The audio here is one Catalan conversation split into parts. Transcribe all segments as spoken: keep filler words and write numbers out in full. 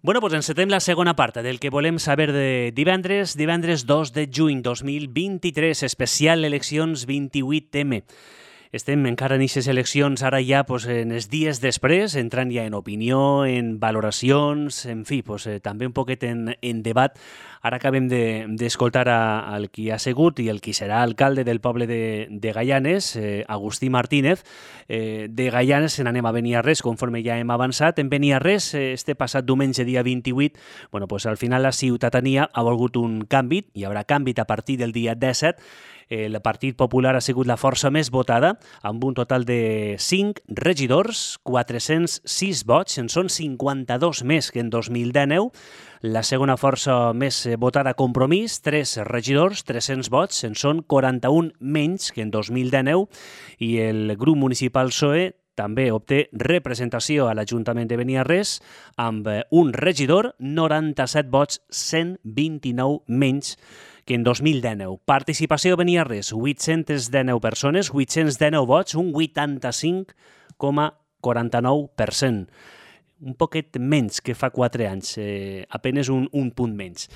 Bueno, doncs encetem la segona part del que volem saber de divendres, divendres dos de juny dos mil vint-i-tres, especial eleccions vint-i-vuit eme. Estem encara en aquestes eleccions, ara ja pues, en els dies després, entrant ja en opinió, en valoracions, en fi, pues, eh, també un poquet en, en debat. Ara acabem d'escoltar de, el qui ha sigut i el qui serà alcalde del poble de, de Gaianes, eh, Agustí Martínez. Eh, de Gaianes se n'anem a Beniarrés, conforme ja hem avançat. En Beniarrés, eh, este passat diumenge, dia vint-i-vuit, bueno, pues, al final la ciutadania ha volgut un canvi, hi haurà canvi a partir del dia disset. El Partit Popular ha sigut la força més votada, amb un total de cinc regidors, quatre-cents sis vots, en són cinquanta-dos més que en dos mil dinou. La segona força més votada, Compromís, tres regidors, tres-cents vots, en són quaranta-un menys que en dos mil dinou. I el grup municipal P S O E també obté representació a l'Ajuntament de Beniarrés amb un regidor, noranta-set vots, cent vint-i-nou menys que en dos mil dinou. Participació a Beniarrés, vuit-cents dinou persones, vuit-cents dinou vots, un vuitanta-cinc coma quaranta-nou per cent. Un poquet menys que fa quatre anys, eh, apenes un, un punt menys.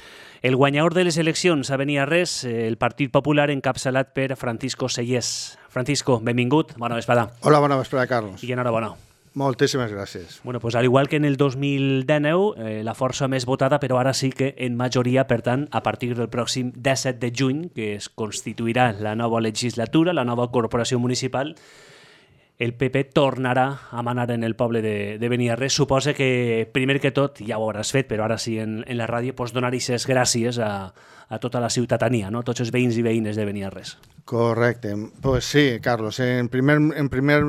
El guanyador de les eleccions a Beniarrés, eh, el Partit Popular, encapçalat per Francisco Sellés. Francisco, benvingut, bona vesprada. Hola, bona vesprada, Carlos. I enhorabona. Moltíssimes gràcies. Bueno, pues al igual que en el dos mil dinou, eh, la força més votada, però ara sí que en majoria, per tant, a partir del pròxim disset de juny, que es constituirà la nova legislatura, la nova corporació municipal, el P P tornarà a manar en el poble de, de Beniarrés. Suposa que, primer que tot, ja ho hauràs fet, però ara sí en, en la ràdio, pues donar aquestes gràcies a, a tota la ciutadania, no? Tots els veïns i veïnes de Beniarrés. Correcte. Pues sí, Carlos. En primer, en primer,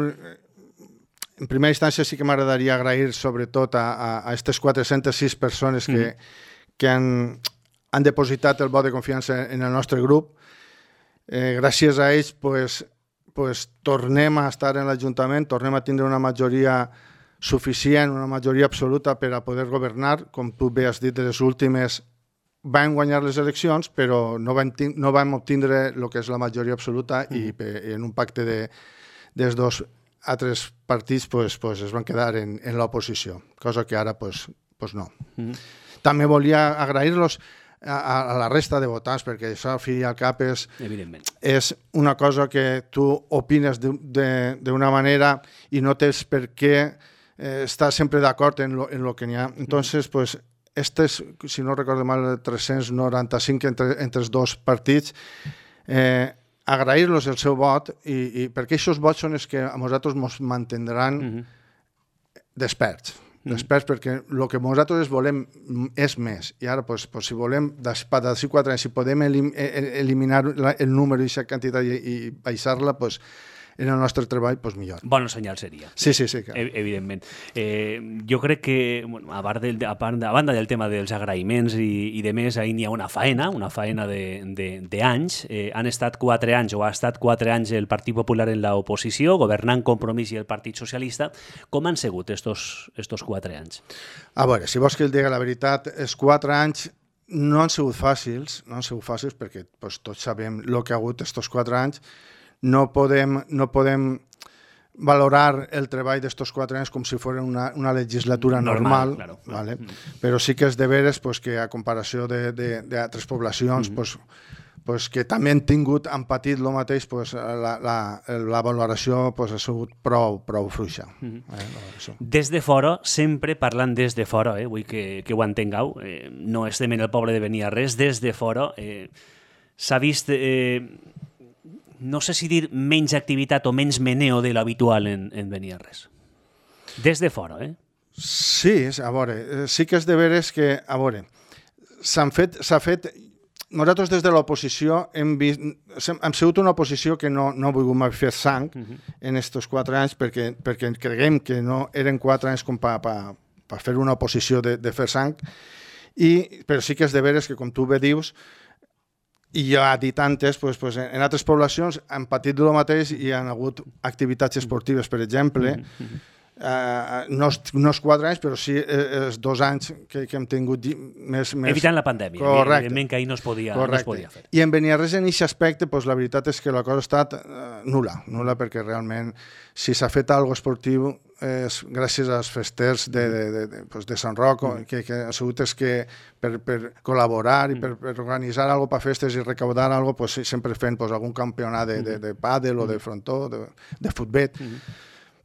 en primera instància sí que m'agradaria agrair sobretot a, a, a aquestes quatre-centes sis persones que, mm. que han, han depositat el vot de confiança en el nostre grup. Eh, gràcies a ells, pues, pues, tornem a estar en l'Ajuntament, tornem a tindre una majoria suficient, una majoria absoluta per a poder governar. Com tu bé has dit, de les últimes vam guanyar les eleccions, però no vam, no vam obtindre el que és la majoria absoluta mm. i, i en un pacte de, dels dos altres partits pues, pues, es van quedar en, en l'oposició, cosa que ara pues, pues no. Mm. També volia agrair-los a, a la resta de votants, perquè això al fi i al cap és, és una cosa que tu opines d'una manera i no tens per què eh, estar sempre d'acord en lo, en lo que n'hi ha. Entonces, pues, estes, si no recordo mal, tres-cents noranta-cinc entre, entre els dos partits, eh, agrair-los el seu vot, i, i perquè aquests vots són els que a nosaltres ens mantindran mm-hmm. desperts. Després, perquè el que nosaltres volem és més. I ara, pues, pues, si volem, d'ací quatre anys, si podem elim eliminar el número i aquesta quantitat i, i baixar-la, pues, en el nostre treball, pues, millor. Bon senyal seria. Sí, sí, sí. Claro. Evidentment. Eh, jo crec que, bueno, a, part del, a, part, a banda del tema dels agraïments i, i de més, ahir n'hi ha una faena, una faena d'anys. Eh, han estat quatre anys, o ha estat quatre anys el Partit Popular en l'oposició, governant Compromís i el Partit Socialista. Com han sigut estos, estos quatre anys? A veure, si vols que el digui la veritat, els quatre anys no han sigut fàcils, no han sigut fàcils perquè pues, tots sabem el que ha hagut estos quatre anys. No podem, no podem valorar el treball d'estos quatre anys com si fos una, una legislatura normal, normal claro, ¿vale? Mm. Però sí que és de veres pues, que a comparació d'altres poblacions mm -hmm. pues, pues, que també han tingut, han patit el mateix, pues, la, la, la valoració pues, ha sigut prou, prou fluixa. Mm -hmm. eh, des de fora, sempre parlant des de fora, eh, vull que, que ho entengueu, eh, no estem en el poble de Beniarrés, des de fora eh, s'ha vist... Eh, no sé si dir menys activitat o menys meneo de l'habitual en, en Beniarrés. Des de fora, eh? Sí, a veure, sí que és de veres que, a veure, s'han fet, s'ha fet... Nosaltres des de l'oposició hem vist... Hem sigut una oposició que no, no ha volgut mai fer sang uh-huh. en aquests quatre anys perquè, perquè creguem que no eren quatre anys com per pa, pa fer una oposició de, de fer sang, i, però sí que és de veres que, com tu bé dius, i ja ha dit antes, pues, pues, en altres poblacions han patit el mateix i han hagut activitats esportives, per exemple, mm-hmm. uh, no, no els quatre anys, però sí els dos anys que, que hem tingut més... més... Evitant la pandèmia, correcte. Evidentment que ahir no es podia, no es podia fer. I en Beniarrés, en aquest aspecte, pues, la veritat és que la cosa ha estat uh, nul·la, nul·la perquè realment, si s'ha fet alguna cosa esportiu, és gràcies als festers de, de, de, de, pues de Sant Roc, mm. que, que ha sigut és que per, per col·laborar i per, per organitzar algo per festes i recaudar algo, pues, sempre fent pues, algun campionat de, de, de pàdel o de frontó, de, de futbet, mm.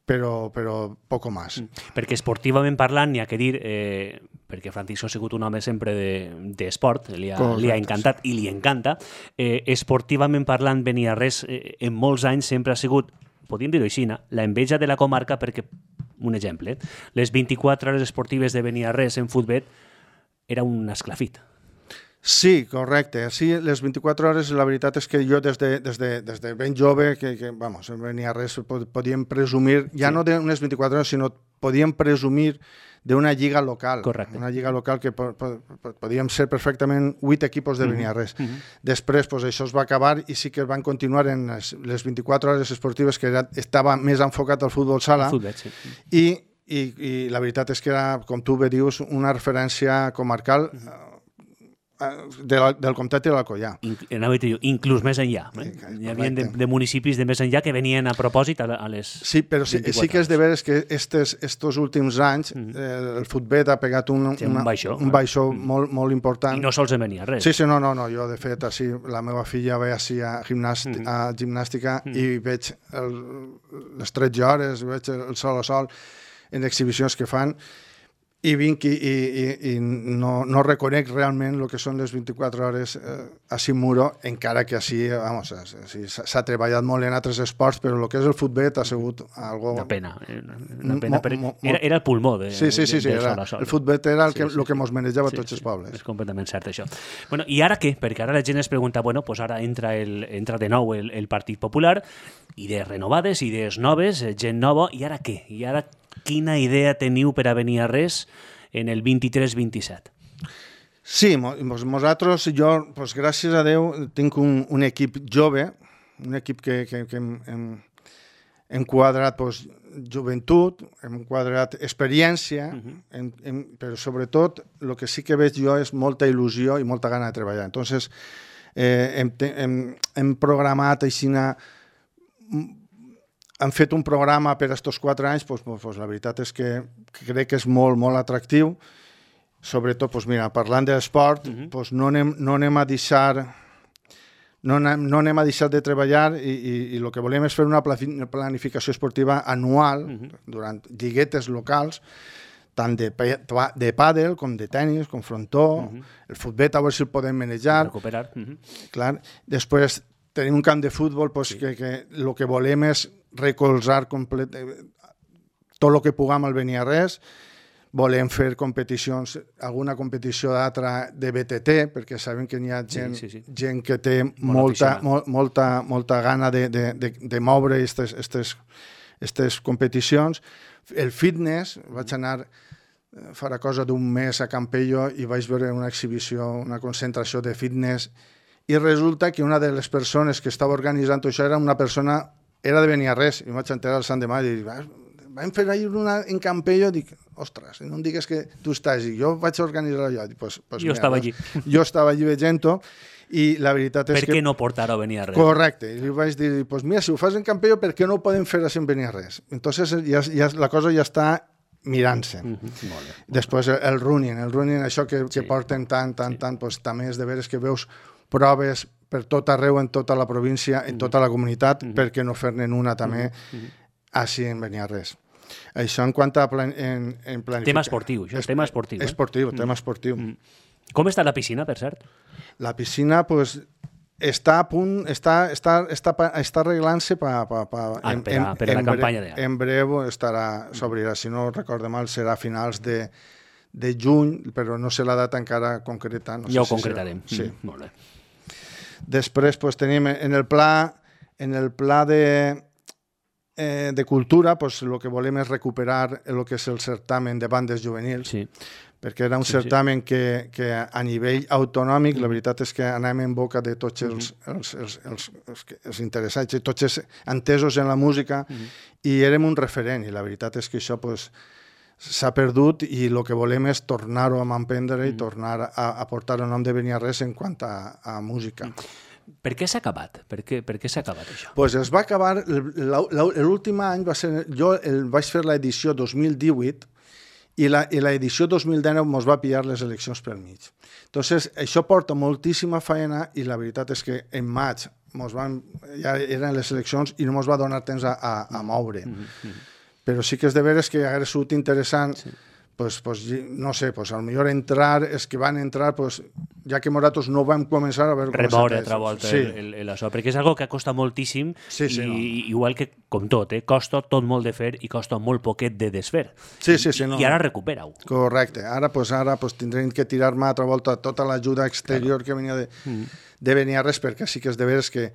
però, però poco més. Mm. Perquè esportivament parlant, n'hi ha que dir, eh, perquè Francisco ha sigut un home sempre d'esport, de, li, ha, li ha encantat sí. i li encanta, eh, esportivament parlant, Beniarrés eh, en molts anys sempre ha sigut, podríem dir-ho així, la enveja de la comarca perquè, un exemple, les vint-i-quatre hores esportives de Beniarrés en futbet era un esclafit. Sí, correcte. Sí, les vint-i-quatre hores, la veritat és que jo des de, des de, des de ben jove, que, que vamos, en Beniarrés podíem presumir, ja sí. no d'unes vint-i-quatre hores, sinó podíem presumir d'una lliga local. Correcte. Una lliga local que po, po, podíem ser perfectament vuit equipos de Beniarrés. Mm -hmm. Després, pues, això es va acabar i sí que van continuar en les, les vint-i-quatre hores esportives, que era, estava més enfocat al futbol sala. Futbol, sí. I, i, I la veritat és que era, com tu bé dius, una referència comarcal mm -hmm. De la, del comtat de l'Alcoià. Inclús més enllà. Eh? Hi havia de, de municipis de més enllà que venien a propòsit a, a les Sí, però sí, sí que és de veres que estes, estos últims anys mm. eh, el futbol ha pegat un, sí, una, un baixó, un baixó mm. molt, molt important. I no sols en venia res. Sí, sí, no, no, no. Jo, de fet, així, la meva filla ve així a, gimnàstica, mm. a gimnàstica mm. i veig el, les tretze hores, veig el sol a sol en exhibicions que fan, i vinc i, i, i, i no, no reconec realment el que són les vint-i-quatre hores eh, a Simuro, encara que així, vamos, s'ha treballat molt en altres esports, però el que és el futbol ha sigut algo... Una pena, una pena, però era, era el pulmó de, sí, sí, sí, sí, de, era, sol sol. El futbol era el que, sí, sí, el que mos manejava sí, tots sí, els pobles. És completament cert, això. Bueno, i ara què? Perquè ara la gent es pregunta, bueno, pues ara entra, el, entra de nou el, el Partit Popular, idees renovades, idees noves, gent nova, i ara què? I ara quina idea teniu per a Beniarrés en el vint-i-tres vint-i-set? Sí, nosaltres, jo, pues, gràcies a Déu, tinc un, un equip jove, un equip que, que, que hem, hem, hem quadrat pues, joventut, hem quadrat experiència, uh-huh. hem, hem, però sobretot el que sí que veig jo és molta il·lusió i molta gana de treballar. Entonces, eh, hem, hem, hem programat així una... Han fet un programa per aquests quatre anys, doncs, doncs, la veritat és que crec que és molt, molt atractiu. Sobretot, doncs, mira, parlant de l'esport, uh-huh. doncs, no, anem, no anem a deixar... No anem, no anem a deixar de treballar i, i, i el que volem és fer una planificació esportiva anual, uh-huh. durant lliguetes locals, tant de, de pàdel com de tennis, com frontó, uh-huh. el futbol a veure si el podem manejar. Recuperar. Uh-huh. Clar. Després tenim un camp de futbol doncs, sí. que, que el que volem és recolzar complet, tot el que puguem al Beniarrés. Volem fer competicions, alguna competició d'altra de B T T, perquè sabem que n'hi ha gent, sí, sí, sí. gent que té molta, mo, molta, molta gana de, de, de, de moure aquestes competicions. El fitness, vaig anar farà cosa d'un mes a Campello i vaig veure una exhibició, una concentració de fitness, i resulta que una de les persones que estava organitzant això era una persona, era de Beniarrés, i em vaig enterar el Sant de Maig i dic, vam fer ahir una en Campello, dic, ostres, no em digues que tu estàs allí, jo vaig organitzar allò. Dic, pues, pues, jo mira, estava allí. Jo estava allí veient-ho, i la veritat és per que... Per què no portar-ho a Beniarrés? Correcte, i li vaig dir, pues mira, si ho fas en Campello, per què no ho podem fer així en Beniarrés? Entonces ja, ja, la cosa ja està mirant-se. Uh -huh. Molt bé. Després el, el running, el running, això que, sí. que porten tant, tant, sí. tant, pues, també és de veres que veus proves per tot arreu, en tota la província, en tota la comunitat, uh -huh. perquè no fer-ne una també uh -huh. així en Beniarrés. Això en quant a plan, en, en planificar. Tema esportiu, això és tema esportiu. Eh? Esportiu, tema esportiu. Mm. Com està la piscina, per cert? La piscina, pues, està a punt, està, està, està, està arreglant-se pa, pa, pa, ah, en, per, a, per a la campanya d'ara. En breu estarà, s'obrirà, si no recordo mal, serà a finals de, de juny, però no sé la data encara concreta. No ja sé ho si concretarem. Serà. Sí. Mm, molt bé. Després pues, tenim en el pla, en el pla de... Eh, de cultura, pues, el que volem és recuperar el que és el certamen de bandes juvenils, sí. perquè era un sí, certamen sí. Que, que a nivell autonòmic, mm. la veritat és que anem en boca de tots els, mm. els, els, els, els, els interessats, i tots els entesos en la música, mm. i érem un referent, i la veritat és que això pues, s'ha perdut, i el que volem és tornar-ho a emprendre mm. i tornar a, a portar el nom de Beniarrés en quant a, a música. Mm. Per què s'ha acabat? Per què, per què s'ha acabat això? Pues es va acabar, l'últim any va ser, jo el, vaig fer l'edició dos mil divuit i l'edició dos mil dinou ens va pillar les eleccions pel mig. Entonces, això porta moltíssima feina i la veritat és que en maig mos van, ja eren les eleccions i no ens va donar temps a, a, a moure. Mm-hmm. Però sí que és de veres que hauria sigut interessant sí. Pues, pues, no sé, pues, a lo millor entrar, és que van entrar, pues, ja que nosaltres no vam començar a veure... Remoure altra volta sí. el, el, el això, perquè és algo que costa moltíssim sí, sí, i no. igual que com tot, eh, costa tot molt de fer i costa molt poquet de desfer. Sí, sí, sí, I, no. I ara recupera-ho. Correcte. Ara, pues, ara pues, tindrem que tirar-me altra volta tota l'ajuda exterior claro. que venia de, mm. de Beniarrés, perquè sí que és de veres que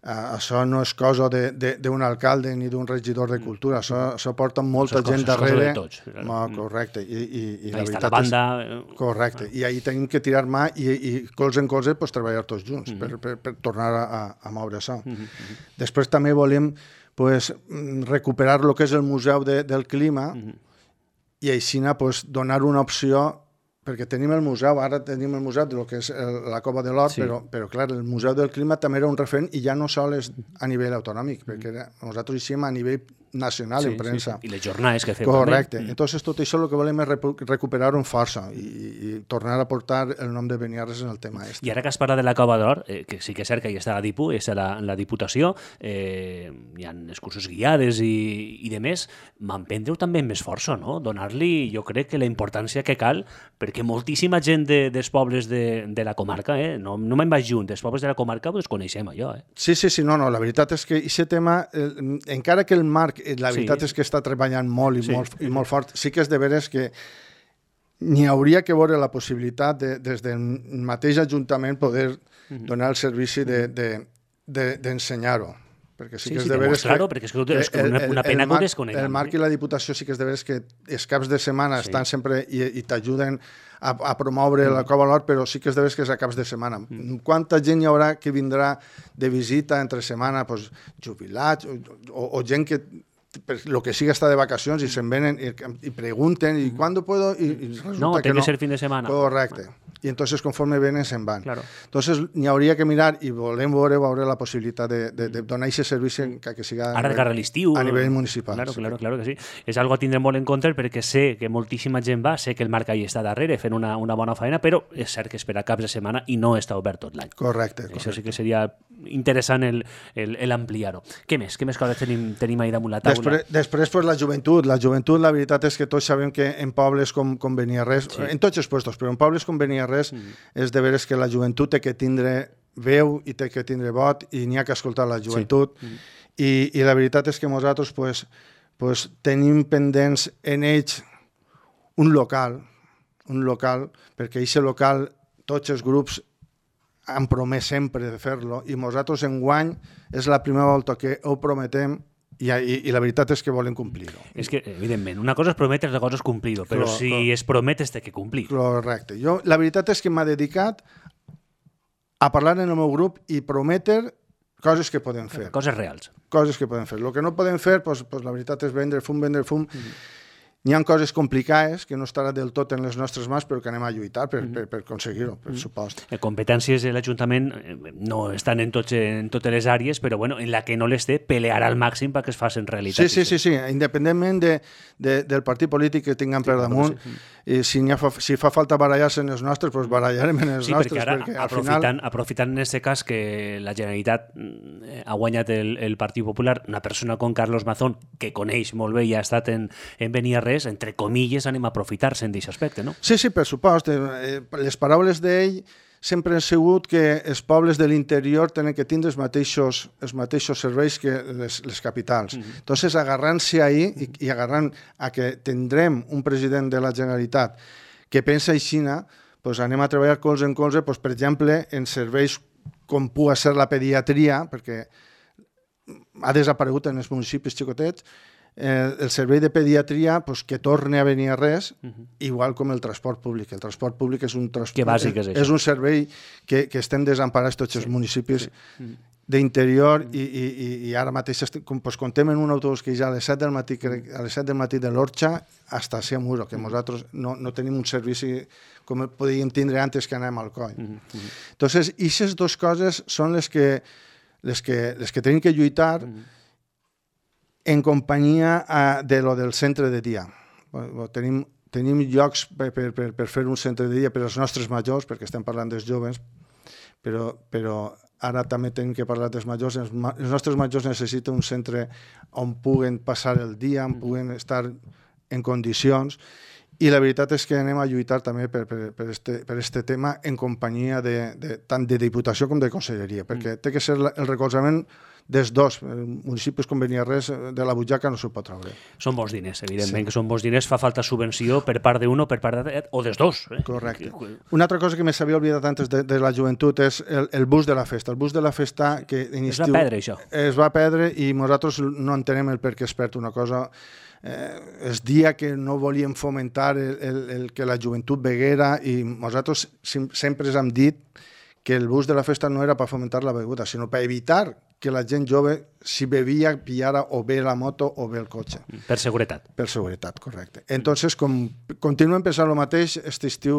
Uh, això no és cosa d'un alcalde ni d'un regidor de cultura, això, això porta molta això gent coses, darrere. De tots, no, correcte. I, i, i la la veritat la banda... és... Correcte. I ahir tenim que tirar mà i, i colze en colze pues, treballar tots junts mm -hmm. per, per, per tornar a, a moure això. Mm -hmm. Després també volem pues, recuperar el que és el Museu de, del Clima mm -hmm. i així pues, donar una opció perquè tenim el museu, ara tenim el museu de lo que és el, la Cova de l'Or, sí. però, però clar, el Museu del Clima també era un referent i ja no sols a nivell autonòmic, perquè era, nosaltres hi som a nivell nacional sí, en premsa. Sí, sí. I les jornades que feu Correcte. també. Entonces tot això el que volem és recuperar-ho amb força i, i tornar a portar el nom de Beniarrés en el tema este. I ara que has parlat de la Cova de l'Or, eh, que sí que és cert que hi està la DIPU, és la, la Diputació, eh, hi ha excursions guiades i, i de més, m'emprendre-ho també amb més força, no? Donar-li, jo crec que la importància que cal, perquè moltíssima gent de, dels pobles de, de la comarca, eh, no, no me'n vaig junt, dels pobles de la comarca pues, coneixem allò. Eh? Sí, sí, sí, no, no, la veritat és que aquest tema, eh, encara que el Marc la veritat sí. és que està treballant molt i, sí. molt i molt fort. Sí que és de veres que n'hi hauria que veure la possibilitat de, des del mateix Ajuntament poder uh-huh. donar el servici d'ensenyar-ho. De, de, perquè sí, sí que és de veres que... Claro, perquè és, que és una, una pena el, el, el que ho desconeguem. El Marc i la Diputació sí que és de veres que els caps de setmana sí. estan sempre i, i t'ajuden a, a promoure mm. la Cova de l'Or, però sí que és de veres que és a caps de setmana. Mm. Quanta gent hi haurà que vindrà de visita entre setmana, pues, jubilats o, o, o gent que per lo que siga està de vacacions i se'n venen i, i pregunten i quan puedo i, i resulta no, que no. No, té que ser fin de setmana. Correcte. I entonces conforme venen se'n van. Claro. Entonces n'hi hauria que mirar i volem veure, veure la possibilitat de, de, de donar aquest servici que, que siga ara de cara a l'estiu a nivell municipal. Claro, sí. claro, claro que sí. És algo a tindre molt en compte perquè sé que moltíssima gent va, sé que el Marc allà està darrere fent una, una bona feina, però és cert que espera caps de setmana i no està obert tot l'any. Correcte, correcte. Això sí que seria interessant l'ampliar-ho. Què més? Què més coses tenim, tenim ahí damunt la taula? Després, després pues, la joventut. La joventut, la veritat és que tots sabem que en pobles com, com Beniarrés, sí. en tots els puestos, però en pobles com Beniarrés mm. és de veres que la joventut té que tindre veu i té que tindre vot i n'hi ha que escoltar la joventut. Sí. Mm. I, I la veritat és que nosaltres pues, pues, tenim pendents en ells un local, un local, perquè aquest local, tots els grups han promès sempre de fer-lo i nosaltres enguany és la primera volta que ho prometem i, i, i la veritat és que volem complir-ho. És que, evidentment, una cosa és prometre, altra cosa és complir-ho, però, però si però, es promet és que complir. Correcte. Jo, la veritat és que m'ha dedicat a parlar en el meu grup i prometre coses que podem fer. Coses reals. Coses que podem fer. El que no podem fer, pues, pues, la veritat és vendre fum, vendre fum. Mm-hmm. N'hi ha coses complicades que no estarà del tot en les nostres mans, però que anem a lluitar per, mm-hmm. per, per aconseguir-ho, per mm-hmm. supost. Les competències de l'Ajuntament no estan en, tots, en totes les àrees, però bueno, en la que no les té, pelearà al màxim perquè es facin realitat. Sí, sí, sí, sí. Independentment de, de, del partit polític que tinguem sí, per damunt, sí. i si, fa, si fa falta barallar-se en els nostres, doncs barallarem en els sí, nostres. Perquè ara, perquè, aprofitant, final... aprofitant en aquest cas que la Generalitat ha guanyat el, el Partit Popular, una persona com Carlos Mazón, que coneix molt bé i ha estat en, en Beniarrés, entre comilles, anem a aprofitar-se'n d'aquest aspecte, no? Sí, sí, per supost. Eh, les paraules d'ell sempre han sigut que els pobles de l'interior tenen que tindre els mateixos, els mateixos serveis que les, les capitals. Mm-hmm. Entonces, agarrant-se ahí i, i agarrant a que tindrem un president de la Generalitat que pensa així, pues anem a treballar colze en colze, pues, per exemple, en serveis com pugui ser la pediatria, perquè ha desaparegut en els municipis xicotets, Eh, el servei de pediatria pues, que torni a venir a res, uh-huh. igual com el transport públic. El transport públic és un, transport, que bàsic és, és un servei que, que estem desemparats tots sí. els municipis. Sí. d'interior i, i, i ara mateix com, pues, comptem en un autobús que ja a les set del matí, crec, a les set del matí de l'Orxa hasta a Muro, que nosaltres no, no tenim un servici com podíem tindre antes que anem al coll. Mm -hmm. Entonces, aquestes dues coses són les que, les que, les que tenim que lluitar mm -hmm. en companyia uh, de lo del centre de dia. Bueno, tenim, tenim llocs per, per, per, per fer un centre de dia per als nostres majors, perquè estem parlant dels joves, però, però ara també tenim que parlar dels majors. Els, els nostres majors necessiten un centre on puguen passar el dia, on puguen estar en condicions, i la veritat és que anem a lluitar també per, per, per, este, per este tema en companyia de, de, tant de Diputació com de Conselleria, perquè té que ser el recolzament dels dos. Municipis com Beniarrés de la butxaca no s'ho pot treure. Són bons diners, evidentment, sí. que són bons diners. Fa falta subvenció per part d'un o per part de... o dels dos. Eh? Correcte. Una altra cosa que me s'havia oblidat antes de, de la joventut és el, el bus de la festa. El bus de la festa que en estiu... Es va perdre, això. Es va perdre i nosaltres no entenem el per què es perd una cosa. Eh, es dia que no volíem fomentar el, el, el que la joventut beguera i nosaltres sempre hem dit que el bus de la festa no era per fomentar la beguda, sinó per evitar que la gent jove, si bevia, pillara o bé la moto o bé el cotxe. Per seguretat. Per seguretat, correcte. Entonces, com continuem pensant el mateix, aquest estiu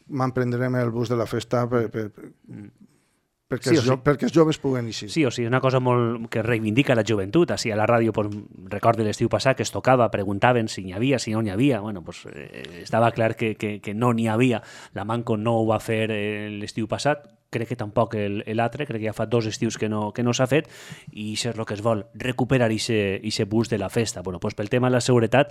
m'emprendrem el bus de la festa per, per, per, perquè, sí els, sí. perquè els joves puguen eixir. Sí o sí, una cosa molt que reivindica la joventut. Així a la ràdio, pues, recordo l'estiu passat que es tocava, preguntaven si n'hi havia, si no n'hi havia. Bueno, pues, eh, estava clar que, que, que no n'hi havia. La Manco no ho va fer eh, l'estiu passat, crec que tampoc l'altre, crec que ja fa dos estius que no, que no s'ha fet, i això és el que es vol, recuperar aquest bus de la festa. Bueno, pues, pel tema de la seguretat,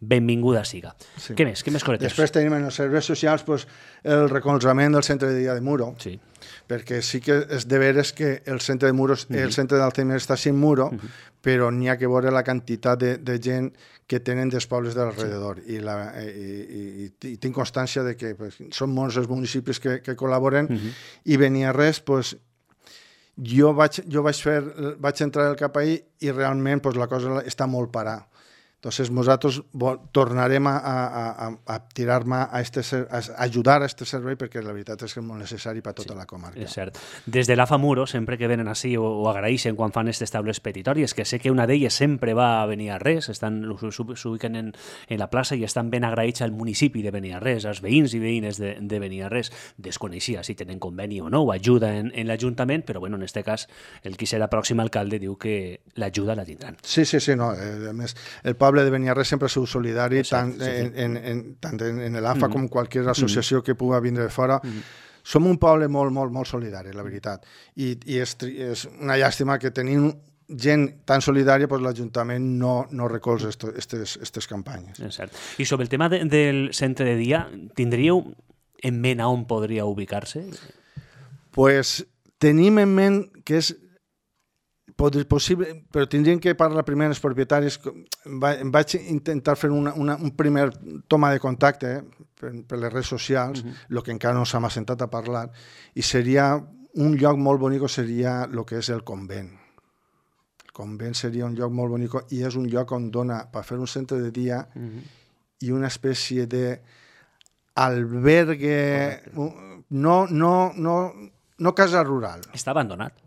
benvinguda siga. Sí. Què més? Què més cosetes? Després tenim en els serveis socials pues, el recolzament del centre de dia de Muro, sí. perquè sí que és de veres que el centre de Muro, uh-huh. el centre d'Alzheimer està sin Muro, uh-huh. però n'hi ha que veure la quantitat de, de gent que tenen dels pobles de l'alrededor. Sí. I, la, i, i, i tinc constància de que pues, són molts els municipis que, que col·laboren uh-huh. i Beniarrés, pues, jo vaig, jo vaig, fer, vaig entrar al cap ahir i realment pues, la cosa està molt parada. Entonces, nosaltres tornarem a, a, a, a tirar-me a, este, a ajudar a este servei perquè la veritat és que és molt necessari per tota sí, la comarca. És cert. Des de l'A F A Muro, sempre que venen així o, o agraeixen quan fan aquestes taules petitòries, que sé que una d'elles sempre va a Beniarrés, s'ubiquen en, en la plaça i estan ben agraïts al municipi de Beniarrés, als veïns i veïnes de, de Beniarrés. Desconeixia si tenen conveni o no, o ajuda en, en l'Ajuntament, però bueno, en aquest cas el qui serà pròxim alcalde diu que l'ajuda la tindran. Sí, sí, sí, no. A més, el poble de Beniarrés sempre ha sigut solidari, tant sí, sí. en, en, en, tant en l'A F A mm-hmm. com qualsevol associació mm-hmm. que pugui vindre de fora. Mm-hmm. Som un poble molt, molt, molt solidari, la veritat. I, i és, és una llàstima que tenim gent tan solidària, doncs l'Ajuntament no, no recolza aquestes campanyes. És cert. I sobre el tema de, del centre de dia, tindríeu en ment on podria ubicar-se? Pues tenim en ment que és possible, però tindríem que parlar primer amb els propietaris. Vaig intentar fer una, una, un primer toma de contacte eh, per, per les redes socials, el uh-huh. que encara no s'ha assentat a parlar, i seria un lloc molt bonic, seria el que és el convent. El convent seria un lloc molt bonic i és un lloc on dona per fer un centre de dia uh-huh. i una espècie de albergue, no, no, no, no casa rural. Està abandonat.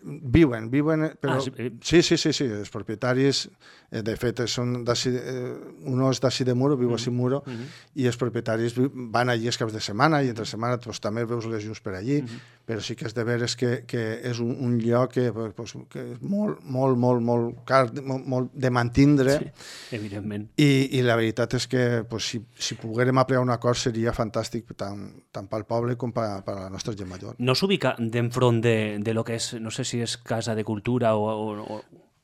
Viuen, viuen, però... Ah, sí. sí, sí, sí, sí, els propietaris, eh, de fet, són d'ací, eh, un és d'ací de Muro, viu mm-hmm. a Muro, mm-hmm. i els propietaris van allí els caps de setmana, i entre setmana pues, també veus les llums per allí, mm-hmm. però sí que és de veres que, que és un, un lloc que, pues, que és molt, molt, molt, molt car, molt, molt de mantindre. Sí, evidentment. I, i la veritat és que pues, si, si poguérem aplicar un acord seria fantàstic tant, tant pel poble com per, per la nostra gent major. No s'ubica d'enfront de, de lo que és, no sé si és Casa de Cultura o... o, o...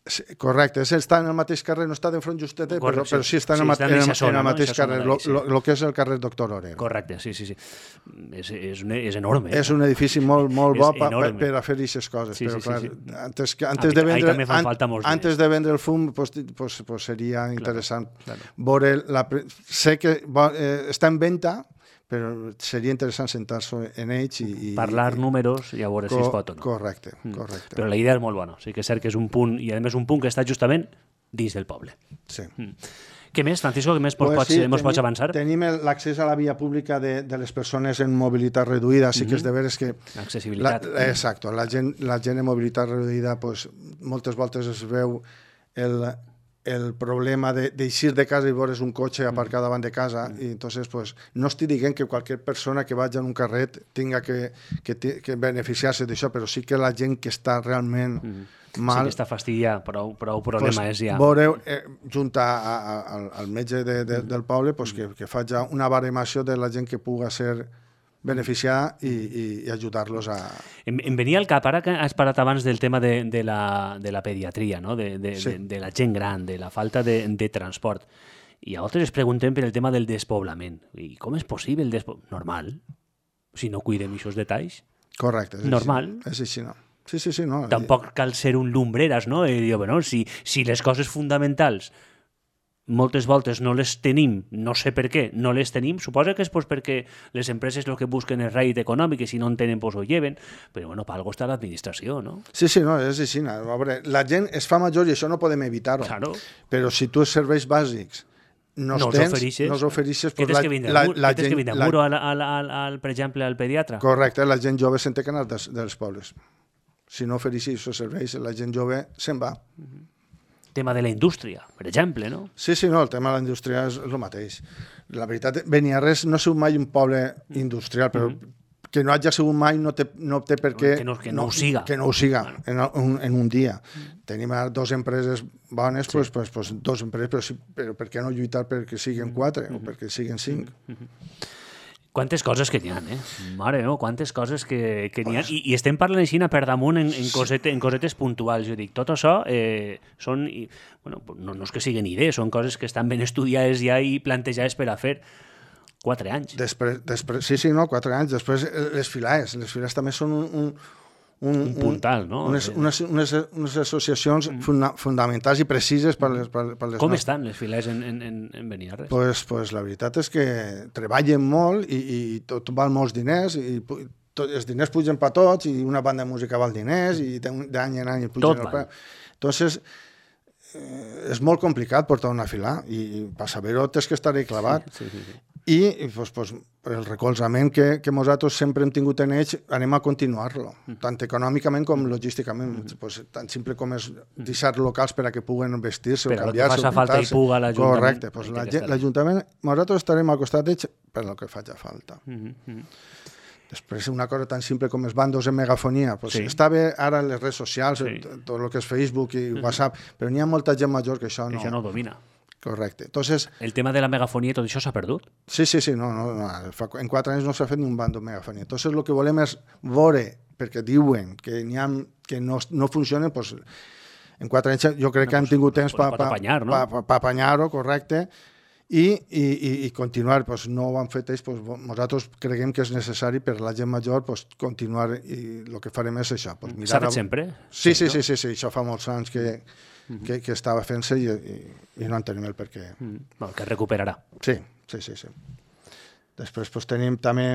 Sí, correcte, està en el mateix carrer, no està d'enfront justet, però, però sí està en el, sí, en, en, en el mateix no? carrer, el sí. lo, lo que és el carrer Doctor Orero. Correcte, sí, sí, sí. És, és, un, és enorme. És un edifici molt, molt bo per, per a fer aquestes coses, sí, però sí, clar, sí, sí. antes, que, antes, de vendre, an, antes de vendre el fum pues, pues, pues seria claro, interessant. Claro. Veure la, sé que eh, està en venda, però seria interessant sentar-se en ells i... i parlar i, números i a veure co- si es pot o no. Correcte, correcte. Però la idea és molt bona. Sí que és cert que és un punt, i a més un punt que està justament dins del poble. Sí. Mm. Què més, Francisco, què més pues pots, sí, pots avançar? Tenim l'accés a la via pública de, de les persones en mobilitat reduïda. Sí que és de veres que... Accessibilitat. La, exacte. La gent, la gent en mobilitat reduïda pues, moltes voltes es veu el, el problema d'eixir de, de casa i veure's un cotxe aparcat davant de casa. Mm. I entonces, pues, no estic dient que qualsevol persona que vagi en un carret tinga que, que, que beneficiar-se d'això, però sí que la gent que està realment... Mm. Mal, sí que està fastidiada, prou, prou problema pues, és ja. Veureu, eh, junt a, a, a, al metge de, de, del poble, pues, que, que faci una baremació de la gent que puga ser beneficiada i, i, i ajudar-los a... Em, em venia al cap, ara que has parlat abans del tema de, de, la, de la pediatria, no? de, de, sí. de, de la gent gran, de la falta de, de transport. I a altres es preguntem per el tema del despoblament. I com és possible el despoblament? Normal. Si no cuidem aquests detalls. Correcte. És normal. Així, és així, no? Sí, sí, sí, no. Tampoc cal ser un lumbreras, no? I dir, bueno, si, si les coses fonamentals moltes voltes no les tenim, no sé per què, no les tenim, suposa que és pues, perquè les empreses el que busquen és rèdit econòmic i si no en tenen, pues ho lleven, però bueno, per algo està l'administració, no? Sí, sí, no, és així. A veure, la gent es fa major i això no podem evitar-ho. Claro. Però si tu els serveis bàsics no, no els tens, oferixes, no els oferixes... Què tens que vindre? La, la, la què tens que vindre? La... Muro, al, al, al, al, per exemple, al pediatre? Correcte, la gent jove se'n té que anar dels, dels pobles. Si no ofereixis aquests serveis, la gent jove se'n va. Uh-huh. Tema de la indústria, per exemple, no? Sí, sí, no, el tema de la indústria és el mateix. La veritat, Beniarrés no ha sigut mai un poble industrial, però uh-huh. que no hagi sigut mai no té, no té per què... Que no, que no, no ho siga. Que no ho siga en un, en un dia. Uh-huh. Tenim ara dues empreses bones, sí. pues, pues, pues, dos empreses, però, sí, però per què no lluitar perquè siguin quatre uh-huh. o perquè siguin cinc? Uh-huh. Quantes coses que n'hi ha, eh? Mare meva, quantes coses que, que n'hi ha. I, I estem parlant així per damunt en, en, cosete, en cosetes puntuals. Jo dic, tot això eh, són... I, bueno, no, no és que siguin idees, són coses que estan ben estudiades ja i plantejades per a fer. Quatre anys. Després, després, sí, sí, no, quatre anys. Després les filades. Les filades també són un... un Un, un puntal, no? Unes, unes, unes, unes associacions mm. funda, fundamentals i precises per les, per, per les Com nostres. Estan les filers en, en, en Beniarres? Pues, pues la veritat és que treballen molt i, i tot val molts diners i tot, els diners pugen per tots i una banda de música val diners i d'any en any pugen el preu. Entonces, eh, és molt complicat portar una fila i, i per saber-ho tens que estar-hi clavat. Sí, sí, sí. I pues, pues, el recolzament que, que nosaltres sempre hem tingut en ells anem a continuar-lo, mm. tant econòmicament com logísticament. Mm. Pues, tan simple com és deixar locals per a que puguen vestir-se o canviar-se. Però que faci falta i puga l'Ajuntament. Correcte. Pues, L'Ajuntament, nosaltres estarem al costat d'ells per el que faci falta. Mm-hmm. Després, una cosa tan simple com els bandos en megafonia. Pues, sí. Està bé ara les redes socials, sí. tot el que és Facebook i mm-hmm. WhatsApp, però n'hi ha molta gent major que això no... Que això no domina. Correcte. Entonces, el tema de la megafonia i tot això s'ha perdut? Sí, sí, sí. No, no, no. En quatre anys no s'ha fet ni un bando de megafonia. Entonces, el que volem és veure, perquè diuen que n'hi ha que no, no funcionen, pues, en quatre anys jo crec no, que han tingut temps per pa, apanyar, no? pa, pa, pa apanyar-ho, correcte, i, i, i, i continuar. Pues, no ho han fet ells, pues, nosaltres creiem que és necessari per la gent major pues, continuar, i el que farem és això. Pues, s'ha fet a... sempre? Sí, sí, sí, sí, sí, això fa molts anys que... Que, que estava fent-se i, i, i no en tenim el perquè. Mm. Bueno, que recuperarà. Sí, sí, sí. sí. Després pues, tenim també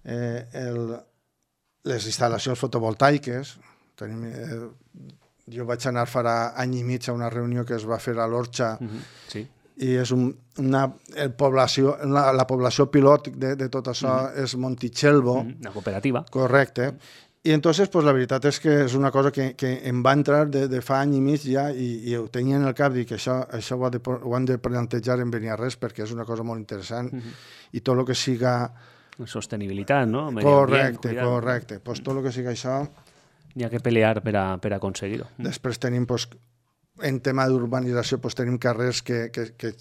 eh, el, les instal·lacions fotovoltaiques. Tenim, eh, jo vaig anar farà any i mig a una reunió que es va fer a l'Orxa mm-hmm. sí. i és un, una, el població, la, la població pilot de, de tot això mm-hmm. és Montichelvo. Mm-hmm. Una cooperativa. Correcte. I entonces, pues, la veritat és que és una cosa que, que em va entrar de, de fa any i mig ja i, i ho tenia en el cap i que això, això ho, ha de, ho han de plantejar en Beniarrés perquè és una cosa molt interessant uh-huh. i tot el que siga... Sostenibilitat, no? Correcte, ambient, correcte. Pues, tot el que siga això... N'hi ha que pelear per a, per a aconseguir-ho. Després tenim, pues, en tema d'urbanització, pues, tenim carrers que, que, que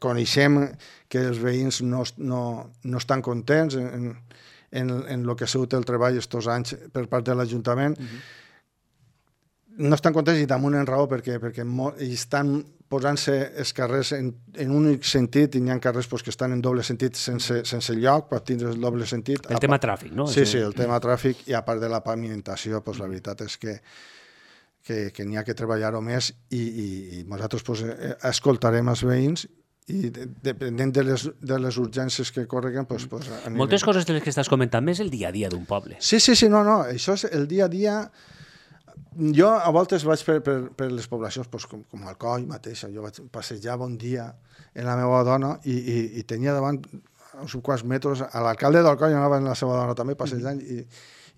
coneixem que els veïns no, no, no estan contents en, en, en el que ha sigut el treball estos anys per part de l'Ajuntament. Uh-huh. No estan contents i damunt en raó perquè, perquè molt, estan posant-se els carrers en, en un únic sentit i n'hi ha carrers pues, que estan en doble sentit sense, sense lloc per tindre el doble sentit. El a tema tràfic, no? Sí, sí, el tema tràfic i a part de la pavimentació, pues, la veritat és que que, que n'hi ha que treballar-ho més i, i, i nosaltres pues, escoltarem els veïns i depenent de les, de les urgències que correguen pues, pues, anirem. Moltes coses de les que estàs comentant més el dia a dia d'un poble. Sí, sí, sí, no, no, això és el dia a dia. Jo a voltes vaig per, per, per les poblacions, pues, com, com Alcoi mateixa. Jo vaig passejava un dia en la meva dona i, i, i tenia davant uns quants metres a l'alcalde d'Alcoi, anava amb la seva dona també passejant, i,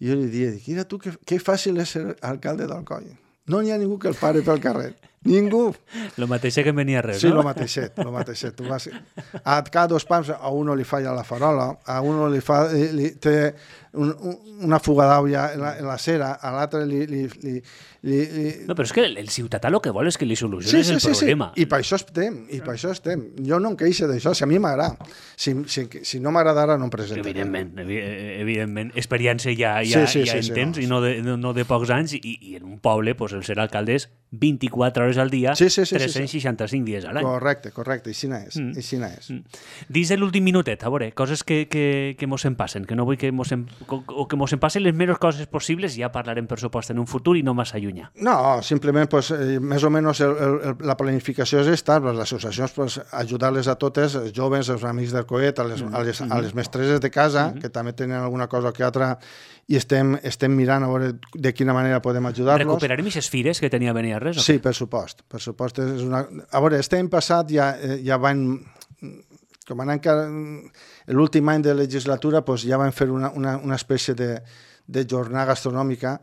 i jo li deia, mira tu, que, que fàcil és ser alcalde d'Alcoi. No n'hi ha ningú que el pare pel carrer. Ningú. Lo mateix que en Beniarrés, sí, no? Sí, lo mateixet, lo mateixet. Tu vas... A cada dos pams a uno li falla la farola, a uno li fa... Li, té un, una fuga d'aigua en, la, en la cera, a l'altre li, li, li, li, li... No, però és que el, el ciutadà el que vol és que li soluciones sí, sí, el problema. Sí, sí. I per això estem, i per això estem. Jo no em queixo d'això, si a mi m'agrada. Si, si, si no m'agradara, no em presento. Evidentment, evidentment. Experiència ja, ja, sí, sí, ja sí, en sí, tens, sí, no, i no de, no, no de pocs anys, i, i en un poble, pues, el ser alcalde és vint-i-quatre hores al dia, sí, sí, sí, tres-cents seixanta-cinc sí, sí. dies a l'any. Correcte, correcte, així n'és. Mm. Així n'és. Mm. Dins de l'últim minutet, a veure, coses que, que, que mos en passen, que no vull que mos en, o que mos en passen les menys coses possibles, ja parlarem, per supost, en un futur i no massa allunyar. No, simplement, pues, eh, més o menys el, el, la planificació és esta, les associacions, pues, ajudar-les a totes, els joves, els amics del coet, a les, mm. a les, a les mestreses de casa, mm. que també tenen alguna cosa que altra, i estem, estem mirant a veure de quina manera podem ajudar-los. Recuperarem aquestes fires que tenia Beniarrés? Sí, per supost. Per supost és una... A veure, estem passat, ja, ja van... Com anant encara... L'últim any de legislatura pues, ja van fer una, una, una espècie de, de jornada gastronòmica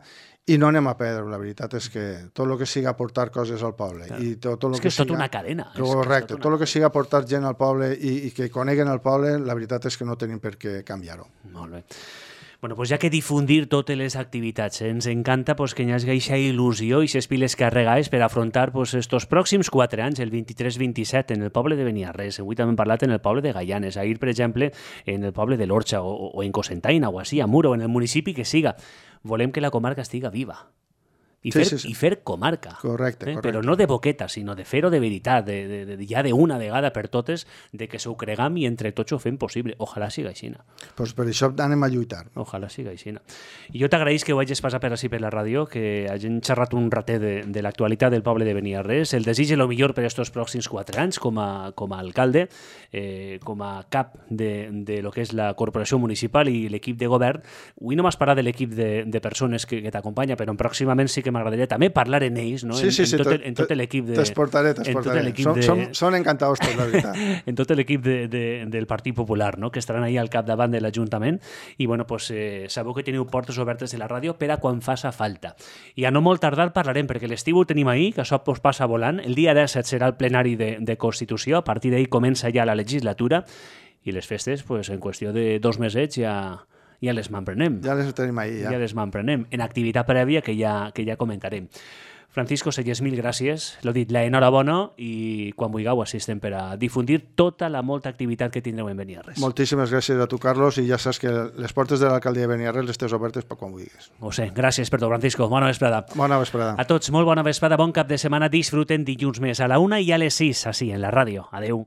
i no anem a perdre, la veritat és que tot el que siga aportar coses al poble. Clar. I tot, tot és que que és tota siga... una cadena. Correcte, tot el que siga aportar gent al poble i, i que coneguen el poble, la veritat és que no tenim per què canviar-ho. Molt bé. Bueno, pues ja que difundir totes les activitats, eh? Ens encanta pues, que hi hagi aquesta il·lusió i aquestes piles carregades per afrontar pues, estos pròxims quatre anys, el vint-i-tres vint-i-set, en el poble de Beniarrés. Avui també hem parlat en el poble de Gaianes, ahir, per exemple, en el poble de l'Orxa, o, o en Cocentaina, o així, a Muro, en el municipi que siga. Volem que la comarca estiga viva. I fer, sí, sí, sí. I fer comarca. Correcte, eh? correcte. Però no de boqueta, sinó de fer-ho de veritat, de, de, de, ja d'una vegada per totes, de que s'ho cregam i entre tots ho fem possible. Ojalà siga així. Pues per això anem a lluitar. Ojalà siga així. I jo t'agraïs que ho hagis passat per així per la ràdio, que hagin xerrat un ratet de, de l'actualitat del poble de Beniarrés. El desig el millor per estos pròxims quatre anys com a, com a alcalde, eh, com a cap de, de lo que és la corporació municipal i l'equip de govern. Avui no m'has parlat de l'equip de, de persones que, que t'acompanya, però pròximament sí que m'agradaria també parlar en ells, no? Sí, sí, sí, en, tot, en tot l'equip de... T'esportaré, t'esportaré. Són, de... són, són encantados tots, la veritat. En tot l'equip de, de, del Partit Popular, no? Que estaran ahí al capdavant de l'Ajuntament i, bueno, pues, eh, sabeu que teniu portes obertes de la ràdio per a quan faça falta. I a no molt tardar parlarem, perquè l'estiu ho tenim ahí, que això pues, passa volant. El dia disset serà el plenari de, de Constitució, a partir d'ahí comença ja la legislatura i les festes, pues, en qüestió de dos mesets ja... ja les m'emprenem. Ja les tenim ahí, ja. Ja les m'emprenem, en activitat prèvia que ja, que ja comentarem. Francisco Selles, mil gràcies. L'ho dit, la enhorabona i quan vulgueu assistem per a difundir tota la molta activitat que tindreu en Beniarrés. Moltíssimes gràcies a tu, Carlos, i ja saps que les portes de l'alcaldia de Beniarrés les tens obertes per quan vulguis. Ho sé, gràcies per tot, Francisco. Bona vesprada. Bona vesprada. A tots, molt bona vesprada, bon cap de setmana. Disfruten dilluns més a la una i a les sis, així, en la ràdio. Adeu.